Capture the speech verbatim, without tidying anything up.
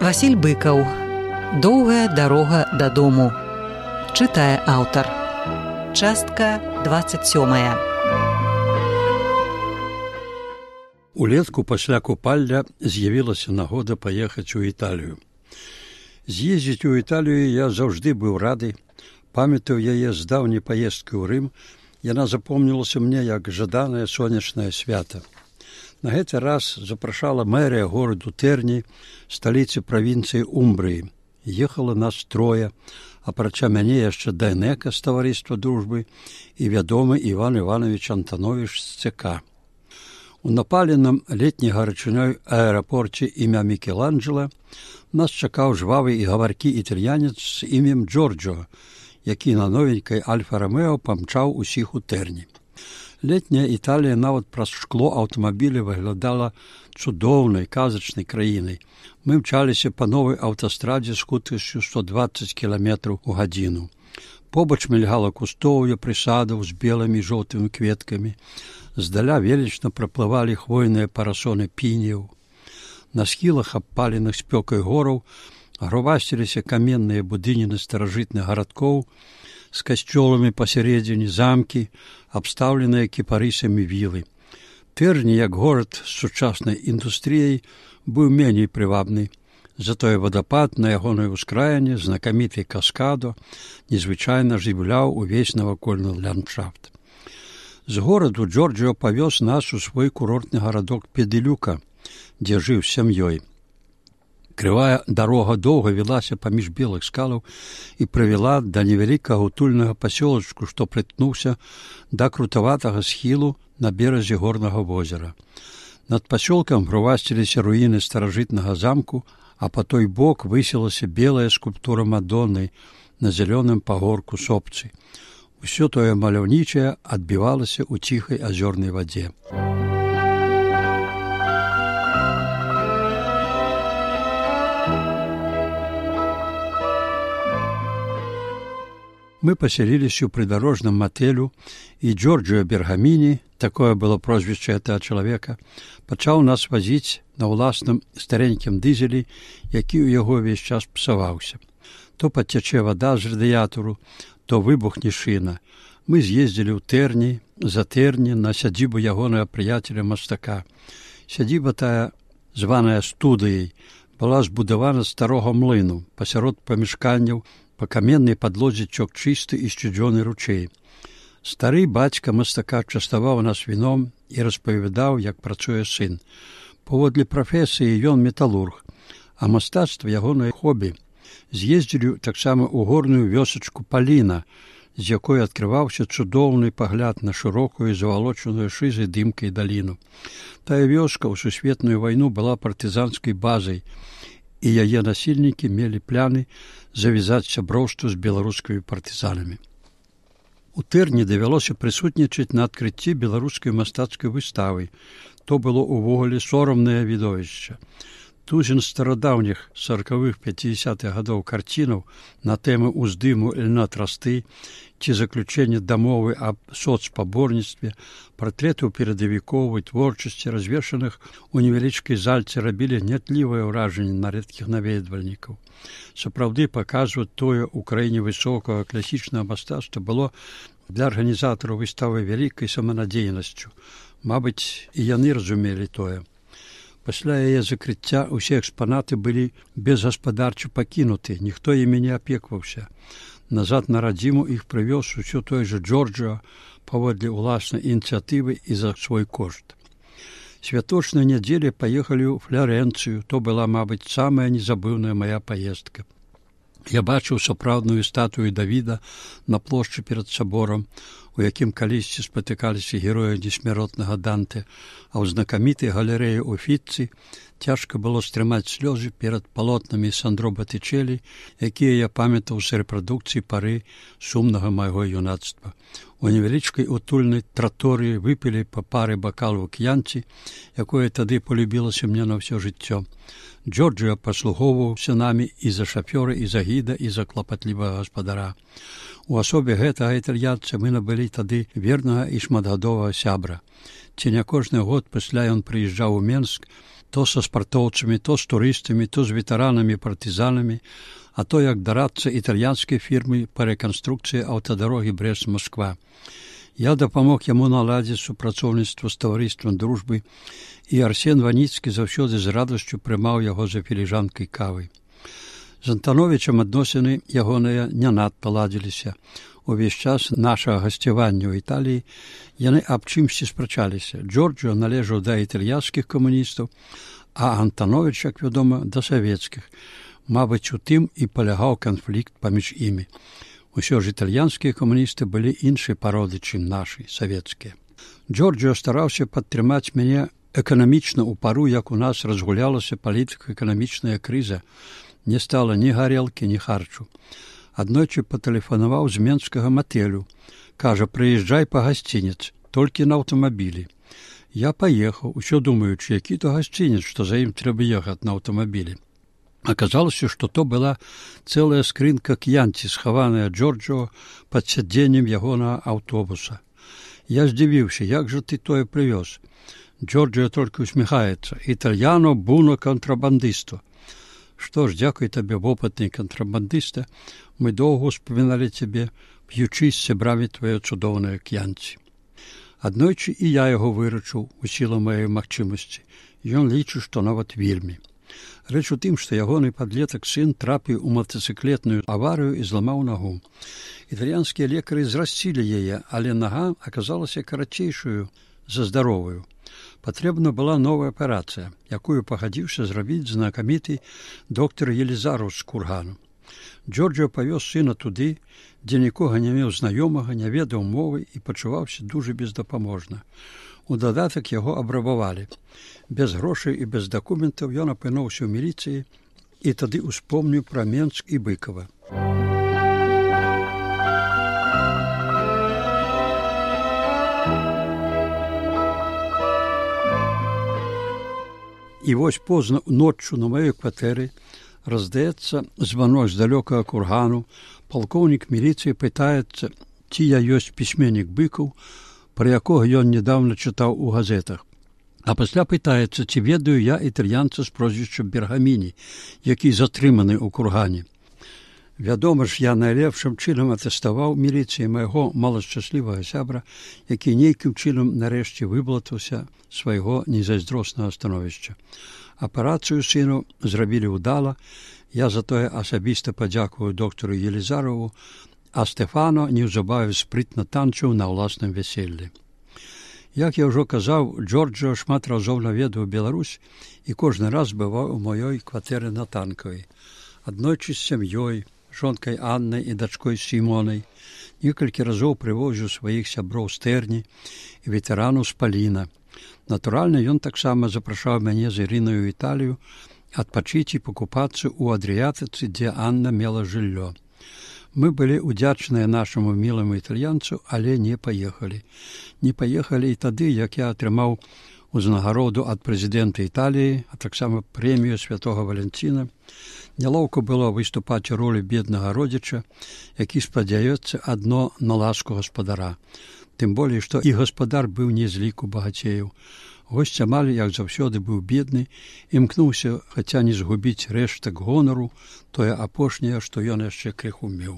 Васіль Быкаў. Доўгая дарога дадому. Чытае аўтар. Частка двадцать сёмая. Улетку пасля купальня з'явілася нагода паехаць у Італію. З'ездзіць у Італію я заўжды быў рады. Памятаю яе з даўняй паездкі ў Рым. Яна запомнілася мне як жаданае сонечнае свята. На гэты раз запрашала мэрія гораду Тэрні, сталіцы правінцыі Умбрыі. Ехала нас трое, апрача мяне яшчэ Дайнека з таварыства дружбы і вядомы Іван Іванович Антановіч з ЦК. У напаленым летняй гарачынёй аэрапорце імя Мікеланджела нас чакаў жвавы і гаваркі італьянец з імем Джорджо, які на новенькай Альфа-Ромео памчаў усіх у Тэрні. Летняя Італія нават праз шкло аўтамабіля выглядала цудоўнай, казачнай краінай. Мы мчаліся па новай аўтастрадзе з хуткасцю сто дваццаць кіламетраў у гадзіну. Побач мільгала кустоўе прысадаў з белымі і жоўтымі кветкамі. Здаля велічна праплывалі хвойныя парасоны піняў. На схілах абпаленых спёкай гораў грувасціліся каменныя будыніны старажытных гарадкоў, з касцёламі пасярэдзіне замкі, абстаўленыя кіпарысамі вілы. Тэрні, як горад з сучаснай індустрыяй, быў меней прывабны. Затое вадапад на ягонай ускраіне, знакаміты каскадо, незвычайна жывляў увесь навакольны ландшафт. З гораду Джорджио павёз нас у свой курортны гарадок Педылюка, дзе жыў з сям'ёй. Крывая дарога доўга вілася паміж белых скалаў і прывяла да невялікага утульнага пасёлачку, што прытнуўся да крутаватага схілу на беразе горнага возера. Над пасёлкам грувасціліся руіны старажытнага замку, а па той бок высілася белая скульптура Мадонны на зялёным пагорку сопцы. Усё тое маляўнічае адбівалася ў ціхай азёрнай вадзе. Мы паселіліся ў прыдарожным матэлю, і Джорджио Бергаміні, такое было прозвішча гэтага чалавека, пачаў нас вазіць на ўласным старенькім дызелі, які ў яго ўвесь час псаваўся. То падцячэ вада з радыятару, то выбухне шына. Мы з'ездзілі ў Тэрні, за Тэрні на сядзібу ягонага прыяцеля мастака. Сядзіба тая, званая студыяй, была збудавана з старога млыну, пасярод памяшканняў, па каменнай падлозе цёк чысты і сцюдзёны ручэй. Стары бацька мастака частаваў нас віном і распавядаў, як працуе сын. Паводле прафесіі ён металург, а мастацтва ягонае хобі. З'ездзілі таксама ў горную вёсачку Паліна, з якой адкрываўся цудоўны пагляд на шырокую завалочаную шызай дымкай даліну. Тая вёска ў сусветную вайну была партызанскай базай, і яе насельнікі мелі пляны завязаць сяброўства з беларускімі партызанамі. У Тэрні давялося прысутнічаць на адкрыцці беларускай мастацкай выставы. То было ўвогуле сорамнае відовішча. Тузін старадаўніх саркавых пяцідзясятых гадоў карцінаў на тэмы ўздыму льна трасты ці заключэння дамовы аб соцпаборніцтве, партрэтаў перадавіковай творчасці, развешаных у невялічкай зальцы, рабілі гнятлівае ўражанне на рэдкіх наведвальнікаў. Сапраўды паказваць тое ў краіне высокага класічнага мастацтва было для арганізатараў выставы вялікай саманадзейнасцю. Мабыць, і яны разумелі тое. Пасля яе закрыцця ўсе экспанаты былі безгаспадарча пакінуты, ніхто імі не апекваўся. Назад на радзіму іх прывёз усё той жа Джорджио паводле ўласнай ініцыятывы і за свой кошт. Святочнай нядзелі паехалі ў Фларэнцыю, то была, мабыць, самая незабыўная мая паездка. Я бачыў сапраўдную статую Давіда на плошчы перад саборам, у якім калісьці спатыкаліся героі несмяротнага Данте, а ў знакамітай галерэі Уфіцці цяжка было стрымаць слёзы перад палотнамі Сандро Батычэлі, якія я памятаў з рэпрадукцыі пары сумнага майго юнацтва. У невялічкай утульнай траторыі выпілі па пары бакалу к'янці, якое тады полюбілася мне на ўсё жыццё. Джорджио паслугоўваўся намі і за шафёра, і за гіда, і за клапатлівага гаспадара. У асобе гэтага італьянца мы набылі тады вернага і шматгадовага сябра. Ці не кожны год пасля ён прыязджаў у Менск, то са спартоўцамі, то з турыстамі, то з ветэранамі-партызанамі, а то як дарадца італьянскай фірмы па рэканструкцыі аўтадарогі Брэст-Масква. Я дапамог яму наладзіць супрацоўніцтва з таварыствам дружбы, і Арсен Ваніцкі заўсёды з радасцю прымаў яго за філіжанкай кавы. З Антановічам адносіны ягоныя не надта ладзіліся. Увесь час нашага гасцявання ў Італіі яны аб чымсьці спрачаліся. Джорджо належаў да італьянскіх камуністаў, а Антановіч, як вядома, да савецкіх. Мабыць, у тым і палягаў канфлікт паміж імі. Усё ж італьянскія камуністы былі іншай пароды, чым нашы, савецкія. Джорджо стараўся падтрымаць мяне эканамічна ў пару, як у нас разгулялася палітыка-эканамічная крыза. Не стала ні гарэлкі, ні харчу. Аднойчы патэлефанаваў з менскага матэлю. Кажа, прыязджай па гасцінец, толькі на аўтамабілі. Я паехаў, усё думаючы, які то гасцінец, што за ім трэба ехаць на аўтамабілі. Аказалася, што то была цэлая скрынка к'янці, схаваная Джорджо пад сядзеннем ягонага аўтобуса. Я здзівіўся, як жа ты тое прывёз? Джорджо толькі усміхаецца. Італьяно буно контрабандысту. Што ж, дзякуй табе, вопытны контрабандыста, мы доўга ўспаміналі цябе, п'ючы з сябрамі твае цудоўныя к'янці. Аднойчы і я яго выручыў у сілу маёй магчымасці. Ён лічыць, што нават вельмі. Рэч у тым, што ягоны падлетак сын трапіў у матацыклетную аварыю і зламаў нагу. Італьянскія лекары зрасцілі яе, але нага аказалася карацейшую за здаровую. Патрэбна была новая аперацыя, якую пагадзіўся зрабіць знакаміты доктар Елізараў з Кургану. Джорджо павёз сына туды, дзе нікога не меў знаёмага, не ведаў мовы і пачуваўся дужа бездапаможна. У дадатак яго абрабавалі. Без грошай і без дакументаў ён апынуўся ў міліцыі і тады ўспомніў пра Менск і Быкова. І вось позна ноччу на маёй кватэры раздаецца званок з далёкага Кургану. Палкоўнік міліцыі пытаецца, ці я ёсць пісьменнік Быкаў, пра якога ён нядаўна чытаў у газетах. А пасля пытаецца, ці ведаю я італьянца з прозвішчам Бергаміні, які затрыманы ў Кургане. Вядома ж, я найлепшым чынам атэставаў міліцыі майго малашчаслівага сябра, які нейкім чынам нарэшце выблатаўся свайго незайздроснага становішча. Аперацыю сыну зрабілі ўдала, я затое асабіста падзякую доктару Елізарову, а Стэфано неўзабаве спрытна танчыў на ўласным вяселлі. Як я ўжо казаў, Джорджо шмат разоў наведаў Беларусь і кожны раз бываў у маёй кватэры на Танкавай. Аднойчы з сям'ёй, жонкай Аннай і дачкой Сімонай, некалькі разоў прывозіў сваіх сяброў з Тэрні і ветэранаў з Паліна. Натуральна, ён таксама запрашаў мяне з Ірынаю ў Італію адпачыць і пакупацца ў Адрыятыцы, дзе Анна мела жыллё. Мы былі удзячныя нашаму міламу італьянцу, але не паехалі. Не паехалі і тады, як я атрымаў узнагароду ад прэзідэнта Італіі, а таксама прэмію святога Валянціна. Нялоўка было выступаць у ролі беднага родзіча, які спадзяецца адно на ласку гаспадара. Тым болей, што і гаспадар быў не з ліку багацеяў. Госць амаль, як заўсёды, быў бедны, імкнуўся, хаця не згубіць рэштак гонару, тое апошняе, што ён яшчэ крыху меў.